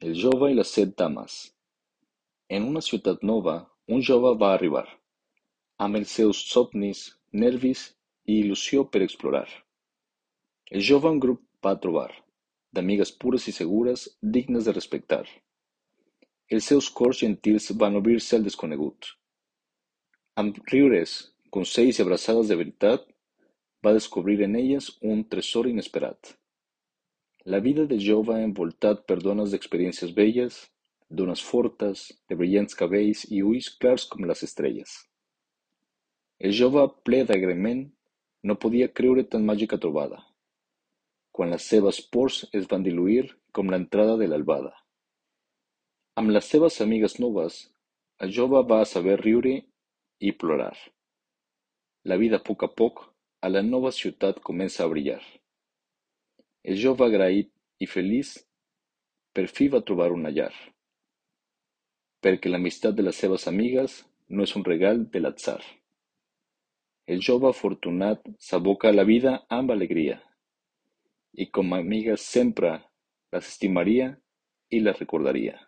El jove i les set dames. En una ciutat nova, un jove va arribar, amb els seus somnis, nervis i il·lusió per explorar. El jove un grup va trobar, d'amigues pures i segures, dignes de respectar. Els seus cors gentils van obrir-se al desconegut. Amb riures, consells i abraçades de veritat, va descobrir en elles un tresor inesperat. La vida de jove envoltat per dones d'experiències belles, dones fortes, de brillants cabells i ulls clars com les estrelles. El jove, ple d'agraïment, no podia creure tan màgica trobada, quan les seves pors es van diluir com l'entrada de l'albada. Amb les seves amigues noves, el jove va saber riure i plorar. La vida a poc a la nova ciutat comença a brillar. El jove agraït i feliç per fi va trobar una llar, perquè l'amistat de les seves amigues no és un regal de l'atzar. El jove afortunat s'aboca a la vida amb alegria, i com a amigues sempre les estimaria i les recordaria.